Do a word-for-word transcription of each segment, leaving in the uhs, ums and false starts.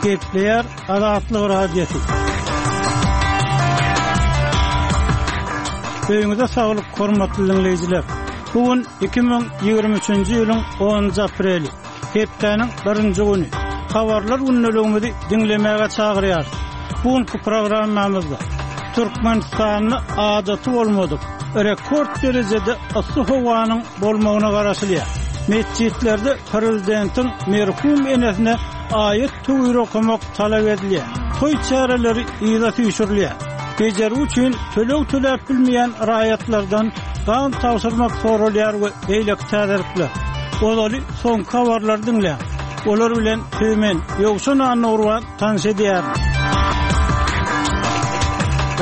Gepleýär Azatlyk Radiosy. Öýüňize saglyk, hormatly diňleýjiler. Bu gün iki müň ýigrimi üçünji ýylyň onunjy apreli, hepdäniň birinji güni. Habarlar gündeligimizi diňlemäge çagyrýarys. Bu günki programmamyzda Türkmenistanda adaty bolmadyk, rekord derejede yssy howanyň bolmagyna garaşylýar. Metjitlerde prezidentiň merhum enesine aýat-töwir okamak talap edilýär. Toý çäreleri yza süýşürilýär. Bejergi üçin töleg töläp bilmeýän raýatlardan gan tabşyrmak soralýar we beýleki täzelikler. Ozaly soňky habarlary diňläň. Olar bilen sizi men, Ýowşan Annagurban tanyş edýärin.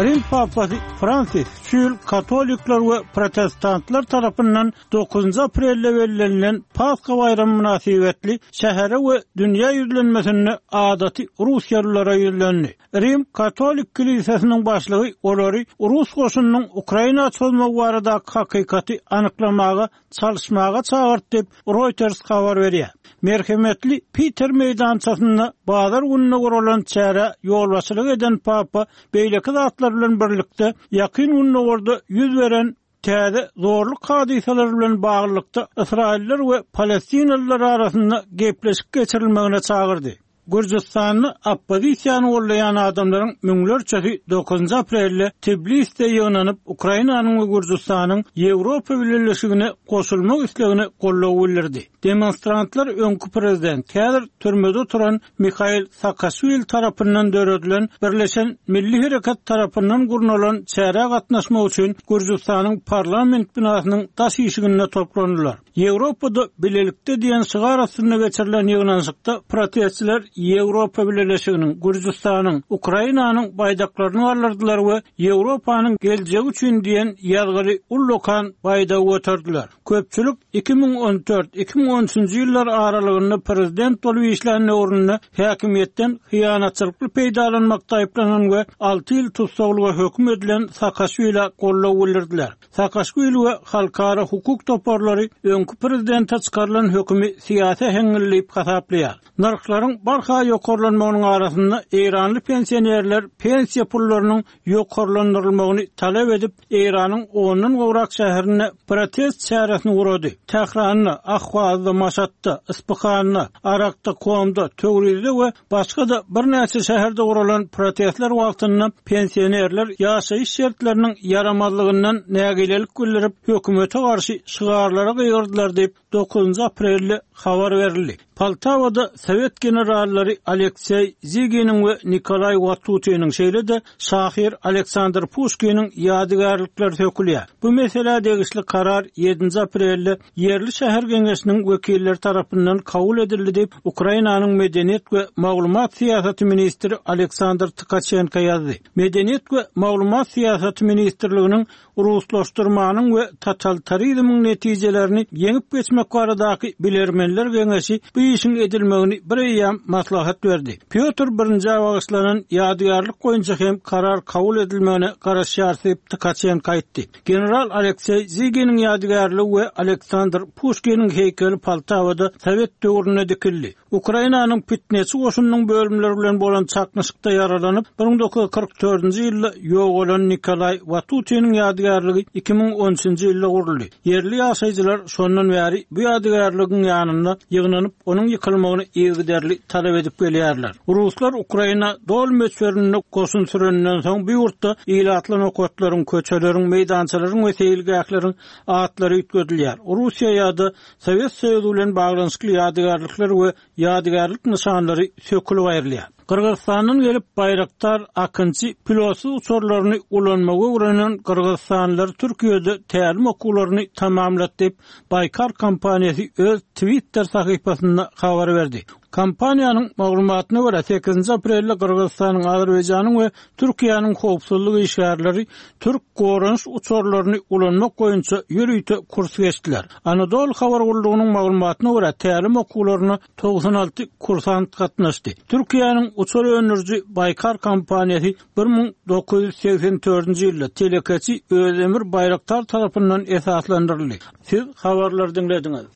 Rim papasy Fransis şu ýyl katolikler we protestantlar tarapyndan dokuzynjy aprelde bellenilen Pasha baýramy mynasybetli şähere we dünýä ýüzlenmesinde adaty russiýalylara ýüzlendi. Rim katolik kilisesiniň başlygy olary rus goşunynyň Ukraina çozmagy baradaky hakykaty anyklamaga çalyşmaga çagyrdy diýip, Reuters habar berýär. Merhemetli Piter meýdançasynda bazar gününe guralan çärä ýolbaşçylyk eden papa beýleki zatlar bilen birlikde Ýakyn Gündogarda ýüz beren täze zorluk hadysalary bilen baglylykda Ysraýyllar we palestinalylar arasynda gepleşik geçirilmegine çagyrdy. Gürjüstanda oppozisiýany gollaýan adamlaryň müňlerçesi dokuzynjy aprelde Tbilisde ýygnanyp, Ukrainanyň we Gürjüstanyň Ýewropa Bileleşigine goşulmak islegine goldaw bildirdi. Demonstrantlar öňki prezident, häzir türmede oturan Mihail Saakaşwili tarapyndan döredilen Birleşen Milli Hereket tarapyndan gurnalan çärä gatnaşmak üçin Gürjüstanyň parlament binasynyň daş işiginde toplandylar. Ýewropada bilelikde diýen şygar astynda geçirilen ýygnanyşykda protestçiler Ýewropa Bileleşiginiň, Gürjüstanyň, Ukrainanyň baýdaklaryny galdyrdylar we Ýewropanyň geljegi üçin diýen ýazgyly ullakan baýdagy göterdiler. Köpçülik iki müň on dört, iki müň on üçünji ýyllar aralygynda prezident bolup işlän döwründe häkimiýetden hyýanatçylykly peýdalanmakda aýyplanan we alty ýyl tussaglyga höküm edilen Saakaşwilä goldaw bildirdiler. Saakaşwili we halkara hukuk toparlary öňki prezidente çykarylan hökümi syýasy äheňli diýip hasaplaýar. Nyrhlaryň barha ýokarlanmagynyň arasynda Eýranly pensionerler pensiýa pullarynyň ýokarlandyrylmagyny talap edip, Eýranyň ondan gowrak şäherinde protest çäresini gurady. Tähranda, Ahwazda, Maşatda, Isfahanda, Arakda, Komda, Töwrizde we başga-da birnäçe şäherde guralan protestler wagtynda pensionerler ýaşaýyş şertleriniň ýaramazlygyndan nägilelik bildirip, hökümete garşy şygarlara gygyrdylar diýip, dokuzynjy aprelde habar berildi. Poltawada Sowet generallary Alekseý Ziginiň we Nikolay Watutiniň, şeýle-de şahyr Aleksandr Puşkiniň ýadygärlikleri sökülýär. Bu meselä degişli karar ýedinji aprelde ýerli şäher geňeşiniň wekilleri tarapyndan kabul edildi diýip, Ukrainanyň medeniýet we maglumat syýasaty ministri Aleksandr Tkaçenko ýazdy. Medeniýet we maglumat syýasaty ministrliginiň ruslaşdyrmanyň we totalitarizmiň netijelerini ýeňip geçmek baradaky bilermenler geňeşi bu işiň edilmegini bir eýýäm maslahat berdi. Pýotr birinji bagyşlanan ýadygärlik boýunça hem karar kabul edilmegine garaşýar diýip Tkaçenko aýtdy. General Alekseý Ziginiň ýadygärligi we Aleksandr Puşkiniň heýkeli Poltawada Sowet döwründe dikildi. Ukrainanyň pitneçi goşunynyň bölümleri bilen bolan çaknyşykda ýaralanyp, bir müň dokuz ýüz kyrk dördünji ýylda ýogalan Nikolay Watutiniň ýadygärligi iki müň on üçünji ýylda guruldy. Ýerli ýaşaýjylar şondan bäri bu ýadygärligiň ýanynda ýygnanyp, onuň ýykylmagyny yzygiderli talap edip gelýärler. Ruslar Ukraina doly möçberinde goşun süreninden soň bu ýurtda ilatly nokatlaryň, köçeleriň, meýdançalaryň we seýilgähleriň atlary üýtgedilýär. Russiýa ýa-da Sowet Soýuzy bilen baglanyşykly ýadygärlikler we ýadygärlik nyşanlary sökülip aýrylýar. Gyrgyzystandan gelip Baýraktar Akynçy pilotsyz uçarlaryny ulanmagy öwrenen Gyrgyzystanlylar Türkiýede tälim okuwlaryny tamamlady diýip, Baykar kompaniýasy öz Twitter sahypasynda habar berdi. Kompaniýanyň maglumatyna görä sekizinji aprelde Gyrgyzystanyň, Azerbaýjanyň we Türkiýäniň howpsuzlyk işgärleri türk goranyş uçarlaryny ulanmak boýunça ýörite kurs geçdiler. Anadolu habar gullugynyň maglumatyna görä tälim okuwlaryna togsan alty kursant gatnaşdy. Türkiýäniň uçar öndüriji Baykar kompaniýasy bir müň dokuz ýüz segsen dördünji ýylda telekeçi Özdemir Baýraktar tarapyndan esaslandyryldy. Siz habarlary diňlediňiz.